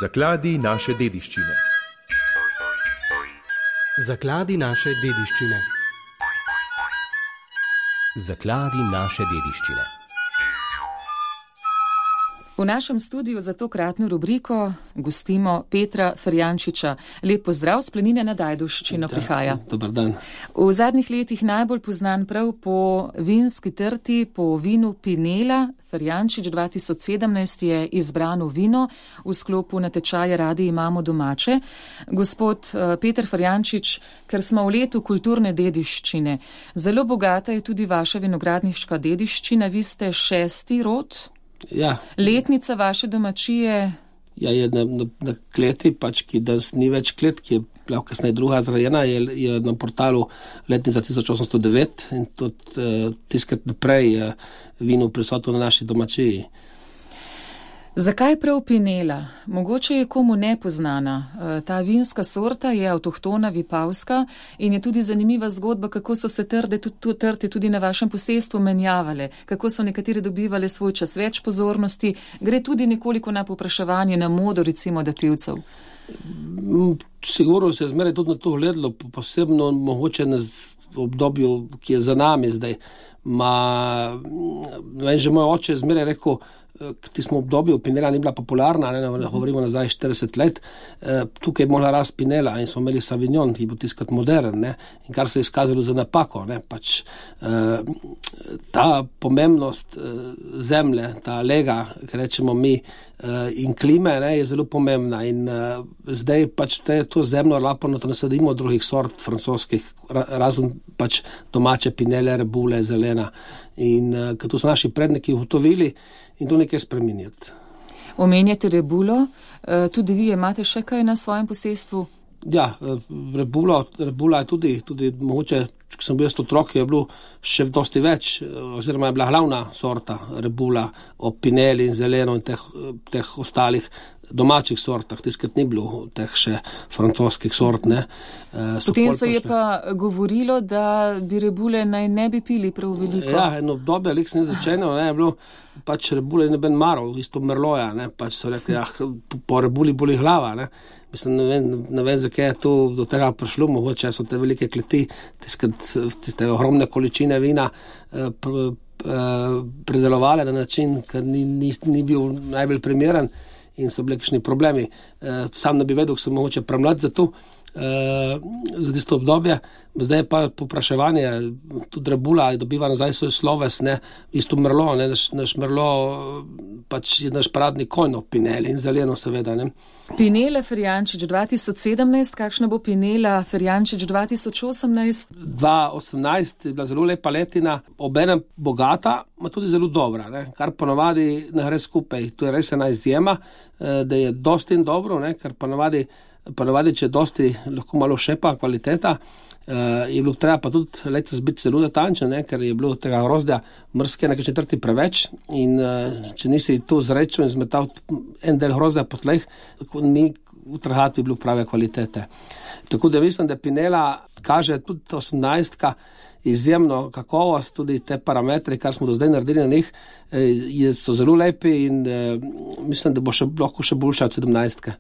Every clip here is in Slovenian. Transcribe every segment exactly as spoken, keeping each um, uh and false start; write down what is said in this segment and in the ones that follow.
Zakladi naše dediščine. Zakladi naše dediščine. Zakladi naše dediščine. V našem studiu za tokratno rubriko gostimo Petra Ferjančiča. Lep pozdrav, s planine nad Ajdovščino prihaja. Dobar dan. V zadnjih letih najbolj poznan prav po vinski trti, po vinu Pinela. Ferjančič dva tisoč sedemnajst je izbrano vino v sklopu natečaja Radi imamo domače. Gospod Peter Ferjančič, ker smo v letu kulturne dediščine, zelo bogata je tudi vaša vinogradniška dediščina. Vi ste šesti rod. Ja. Letnica vaše domačije? Ja, je na, na, na kleti, pač, ki danes ni več klet, ki je bila kasneje druga zrajena, je, je na portalu letnica tisoč osemsto devet in tudi uh, tiskrat naprej je vino prisotno na naši domačiji. Zakaj prav Pinela? Mogoče je komu nepoznana. Ta vinska sorta je avtohtona vipavska in je tudi zanimiva zgodba, kako so se trde, tudi, trte tudi na vašem posestvu menjavale, kako so nekateri dobivali svoj čas več pozornosti. Gre tudi nekoliko na povpraševanje, na modo recimo da pivcev. Sigurno se je zmeraj tudi na to gledalo, posebno mogoče na obdobju, ki je za nami zdaj. Ma, vem, že moj oče je zmeraj rekel, ki smo v obdobju Pinela ni bila popularna, ne, ne govorimo nazaj štirideset let, eh, tukaj je mogla rast Pinela in smo imeli Savignon, ki je bil tiskat modern, ne, in kar se je izkazalo za napako, ne, pač eh, ta pomembnost eh, zemlje, ta lega, ki rečemo mi, eh, in klime, ne, je zelo pomembna in eh, zdaj pač te, to zemljo laporno to nasadimo drugih sort francoskih, ra, razen pač domače Pinele, rebule, zelena in eh, kad to so naši predniki ugotovili in to nekaj spreminjati. Omenjate rebulo, tudi vi imate še kaj na svojem posestvu? Ja, rebulo, rebula je tudi, tudi mogoče, če sem bil jaz otrok, je bilo še dosti več, oziroma je bila glavna sorta rebula o Pineli in zeleno in teh, teh ostalih domačih sortah, tiskrat ni bilo teh še francoskih sort, ne. Potem se je pa govorilo, da bi rebule naj ne bi pili prav veliko. Ja, eno obdobje, lik se ni začenjal, ne, je bilo pač rebule ne ben marov, isto merloja, ne, pač so rekli, ja, po rebuli boli glava, ne. Mislim, ne vem, ne vem, zakaj je to do tega prišlo, mogoče so te velike kleti, tiskrat, tiste ogromne količine vina eh, pr, eh, predelovale na način, ker ni, ni, ni bil najbolj primeren in so bili kakšni problemi. Eh, sam ne bi vedel, ko sem mogoče premlad za to, eh, za tisto obdobje. Zdaj pa popraševanje, tudi rebula dobiva nazaj svoj sloves, ne, isto merlo, ne, naš, naš merlo pač je naš paradni konj, Pinel in zeleno seveda, ne. Pinela Ferjančič dva tisoč sedemnajst, kakšna bo Pinela Ferjančič dva tisoč osemnajst? dva tisoč osemnajst je bila zelo lepa letina, obenem bogata, ma tudi zelo dobra, ne, kar ponovadi ne gre skupaj. To je res ena izjema, da je dosti in dobro, ne, ker ponovadi, ponovadi, če dosti lahko malo šepa kvaliteta, Uh, je bilo treba pa tudi letos biti zelo natančen, ne, ker je bilo tega grozdja mrske na četrti preveč in uh, če nisi to zrečil in zmetal en del grozdja po tleh, ni utrhati bilo prave kvalitete. Tako da mislim, da Pinela kaže tudi osemnajstka izjemno kakovost, tudi te parametri, kar smo do zdaj naredili na njih, eh, so zelo lepi in eh, mislim, da bo še, lahko še boljša od sedemnajstke.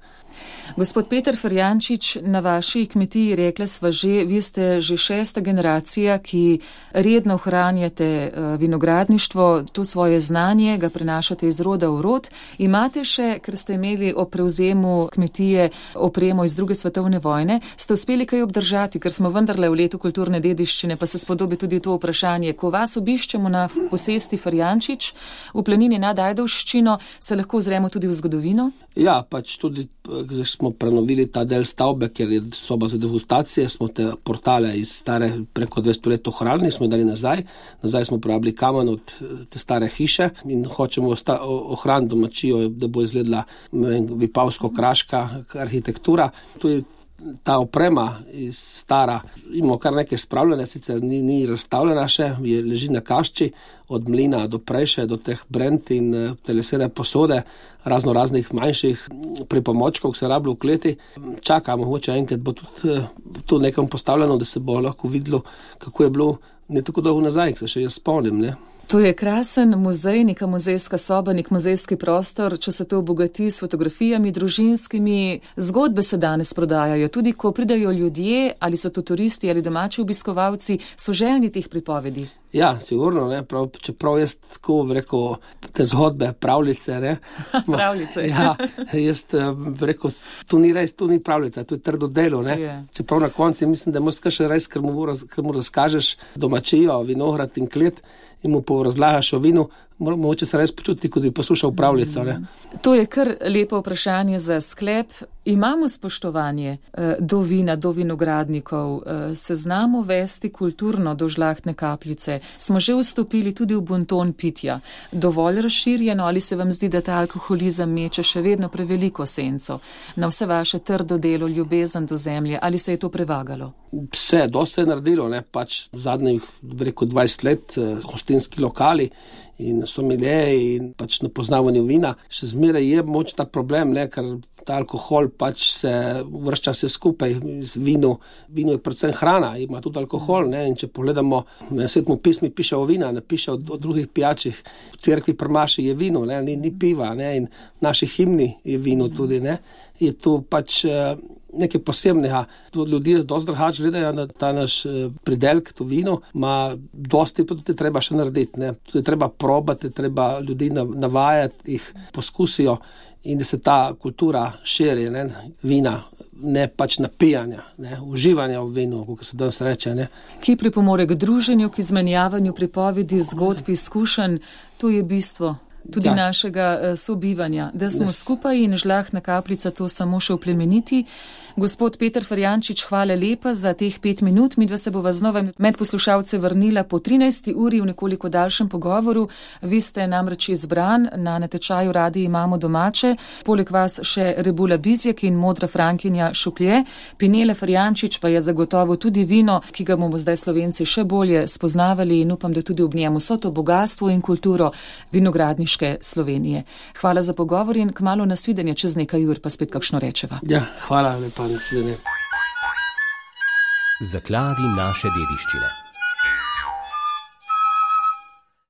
Gospod Peter Ferjančič, na vaši kmetiji, rekla sva že, vi ste že šesta generacija, ki redno ohranjate vinogradništvo, to svoje znanje, ga prenašate iz roda v rod. Imate še, ker ste imeli o prevzemu kmetije opremo iz druge svetovne vojne, ste uspeli kaj obdržati, ker smo vendarle v letu kulturne dediščine, pa se spodobi tudi to vprašanje. Ko vas obiščemo na posesti Ferjančič v planini nad Ajdovščino, se lahko ozremo tudi v zgodovino? Ja, pač tudi smo prenovili ta del stavbe, ker je soba za degustacije, smo te portale iz stare preko dvesto let ohranili, smo dali nazaj, nazaj smo uporabili kamen od te stare hiše in hočemo osta- ohraniti domačijo, da bo izgledala vipavsko-kraška arhitektura. To je ta oprema iz stara, imamo kar nekaj spravljene, sicer ni, ni razstavljena še, je, leži na kašči, od mlina do prejše, do teh brend in te lesene posode, razno raznih manjših pripomočkov, ki se rabljajo v kleti. Čakamo, mogoče enkrat bo tudi to nekam postavljeno, da se bo lahko videlo, kako je bilo ne tako dolgo nazaj, se še jaz spomnim, ne. To je krasen muzej, neka muzejska soba, nek muzejski prostor, če se to obogati s fotografijami družinskimi. Zgodbe se danes prodajajo, tudi ko pridajo ljudje, ali so to turisti ali domači obiskovalci, so željni teh pripovedi. Ja, sigurno, ne, prav, čeprav jaz tako rekel, te zgodbe, pravljice, ne. Pravljice. Ja, jaz rekel, to ni res, to ni pravljica, to je trdo delo, ne. Yeah. Čeprav na koncu mislim, da moraš še res, ker mu, ker mu razkažeš domačijo, vinograd in klet in mu porazlagaš o vinu, mogoče se res počuti, kot bi poslušal pravljico, ne. To je kar lepo vprašanje za sklep. Imamo spoštovanje eh, do vina, do vinogradnikov, eh, se znamo vesti kulturno do žlahtne kapljice, smo že vstopili tudi v bonton pitja. Dovolj razširjeno ali se vam zdi, da ta alkoholizem meče še vedno preveliko senco na vse vaše trdo delo, ljubezen do zemlje, ali se je to prevagalo? Vse, dosti je naredilo, ne, pač zadnjih, rekel, dvajset let, eh, hostinski lokali in sommelier in pač na poznavanju vina. Še zmeraj je moč ta problem, ne, ker ta alkohol pač se vršča se skupaj z vino. Vino je predvsem hrana, ima tudi alkohol, ne, in če pogledamo, na Svetemu pismu piše o vina, ne piše o, o drugih pijačih. V cerkvi pri maši je vino, ne, ni, ni piva, ne, in v naši himni je vino tudi, ne. Je to pač eh, nekaj posebnega. Ljudje dosti drugače gledajo na ta naš pridelek, to vino, ima dosti, pa tudi treba še narediti, ne. Tudi treba probati, treba ljudi navajati, jih poskusijo in da se ta kultura širi, ne, vina, ne pač napijanja, ne, uživanja v vinu, kako se danes reče, ne. Ki pripomore k druženju, k izmenjavanju pripovedi, zgodb, izkušenj, to je bistvo tudi ja. našega sobivanja, da smo Nes. skupaj in žlahtna kapljica to samo še oplemeniti. Gospod Peter Ferjančič, hvala lepa za teh pet minut. Midva se bova znova med poslušalce vrnila po trinajsti uri v nekoliko daljšem pogovoru. Vi ste namreč izbran, na natečaju Radi imamo domače, poleg vas še Rebula Bizjak in modra Frankinja Šuklje. Pinele Ferjančič pa je zagotovo tudi vino, ki ga bomo zdaj Slovenci še bolje spoznavali in upam, da tudi ob njemu so to bogatstvo in kulturo vinogradniške Slovenije. Hvala za pogovor in kmalu nasvidenje, čez nekaj ur pa spet kakšno rečeva. Ja, hvala lepa. Nasvidenje. Zakladi naše dediščine.